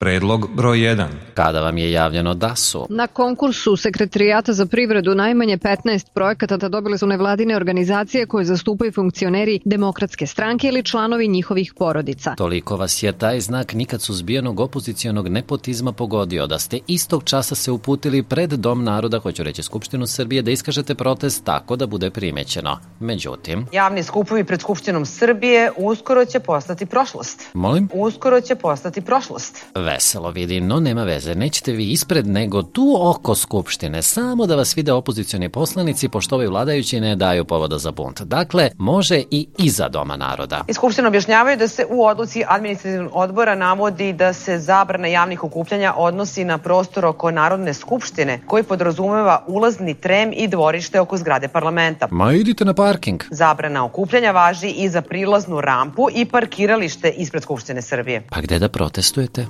Predlog broj 1. Kada vam je javljeno da su? Na konkursu Sekretarijata za privredu najmanje 15 projekata dobile su nevladine organizacije koje zastupaju funkcioneri Demokratske stranke ili članovi njihovih porodica. Toliko vas je taj znak nikad suzbijenog opozicionog nepotizma pogodio da ste istog časa se uputili pred Dom naroda, hoću reći Skupštinu Srbije, da iskažete protest tako da bude primećeno. Međutim... Javni skupovi pred Skupštinom Srbije uskoro će postati prošlost. Molim? Uskoro će postati prošlost. Veselo vidim, no nema veze, nećete vi ispred nego tu oko Skupštine, samo da vas vide opozicioni poslanici, pošto ovi vladajući ne daju povoda za bunt. Dakle, može i iza Doma naroda. Iz Skupštine objašnjavaju da se u odluci administrativnog odbora navodi da se zabrana javnih okupljanja odnosi na prostor oko Narodne skupštine, koji podrazumeva ulazni trem i dvorište oko zgrade parlamenta. Ma idite na parking. Zabrana okupljanja važi i za prilaznu rampu i parkiralište ispred Skupštine Srbije. Pa gde da protestujete?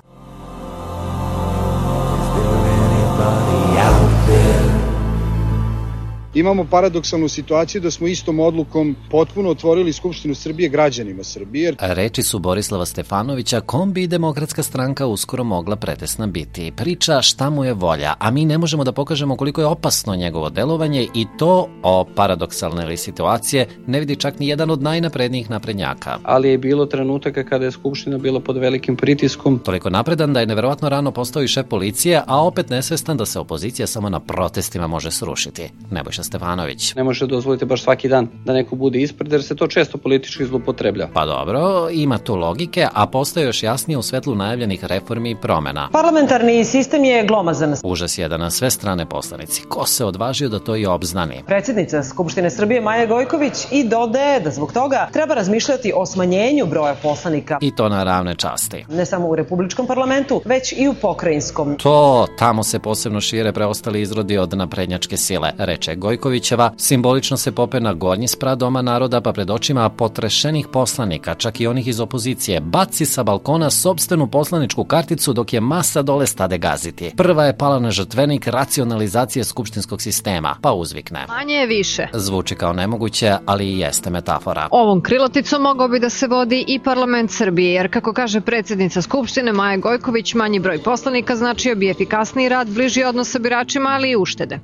Imamo paradoksalnu situaciju da smo istom odlukom potpuno otvorili Skupštinu Srbije građanima Srbije. Reči su Borislava Stefanovića, kom bi Demokratska stranka uskoro mogla pretesna biti. Priča šta mu je volja, a mi ne možemo da pokažemo koliko je opasno njegovo delovanje i to o paradoksalne situacije ne vidi čak ni jedan od najnaprednijih naprednjaka. Ali je bilo trenutaka kada je Skupština bila pod velikim pritiskom. Toliko napredan da je neverovatno rano postao i šef policije, a opet nesvestan da se opozicija samo na protestima može srušiti. Nebojša Stefanović. Ne može dozvoliti baš svaki dan da neko bude ispred, jer se to često politički zloupotreblja. Pa dobro, ima tu logike, a postaje još jasnije u svetlu najavljenih reformi i promena. Parlamentarni sistem je glomazan. Užas je da na sve strane poslanici. Ko se odvažio da to i obznani? Predsjednica Skupštine Srbije Maja Gojković i dodaje da zbog toga treba razmišljati o smanjenju broja poslanika. I to na ravne časti. Ne samo u Republičkom parlamentu, već i u pokrajinskom. Tamo se posebno šire preostali izrodi od naprednjačke sile, reče Gojkovićeva, simbolično se pope na gornji sprat Doma naroda, pa pred očima potrešenih poslanika, čak i onih iz opozicije, baci sa balkona sopstvenu poslaničku karticu dok je masa dole stade gaziti. Prva je pala na žrtvenik racionalizacije skupštinskog sistema, pa uzvikne. Manje je više. Zvuči kao nemoguće, ali i jeste metafora. Ovom krilaticom mogao bi da se vodi i parlament Srbije, jer kako kaže predsjednica Skupštine Maja Gojković, manji broj poslanika značio bi efikasniji rad, bliži odnos sa biračima, ali i uštede.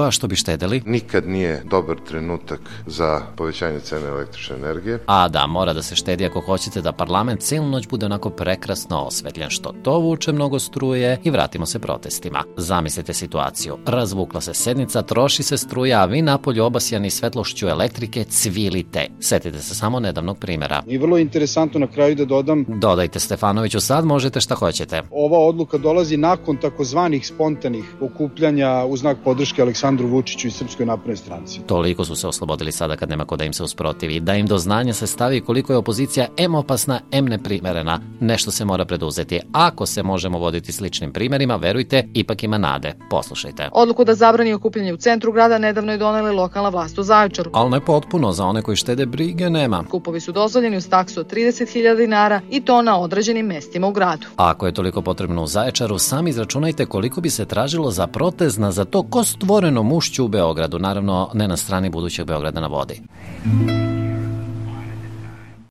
A što bi štedeli? Nikad nije dobar trenutak za povećanje cene električne energije. A da, mora da se štedi ako hoćete da parlament cijelu noć bude onako prekrasno osvetljen, što to vuče mnogo struje i vratimo se protestima. Zamislite situaciju. Razvukla se sednica, troši se struja, a vi napolju obasjani svetlošću elektrike cvilite. Setite se samo nedavnog primjera. I vrlo interesantno na kraju da dodam... Dodajte Stefanoviću, sad možete šta hoćete. Ova odluka dolazi nakon takozvanih spontanih okupljanja u znak podrške Aleksandru Vučiću i Srpskoj naprednoj stranci. Toliko su se oslobodili sada kad nema ko da im se usprotivi, da im do znanja se stavi koliko je opozicija em opasna, em neprimerena. Nešto se mora preduzeti. Ako se možemo voditi sličnim primjerima, verujte, ipak ima nade. Poslušajte. Odluku da zabrani okupljanje u centru grada nedavno je donela lokalna vlast u Zaječaru. Ali ne potpuno, za one koji štede brige nema. Skupovi su dozvoljeni uz taksu od 30.000 dinara i to na određenim mestima u gradu. Ako je toliko potrebno u Zaječaru, sami izračunajte koliko bi se tražilo za protest na za to ko stvoreno mušću u Beogradu, naravno ne na strani budućeg Beograda na vodi.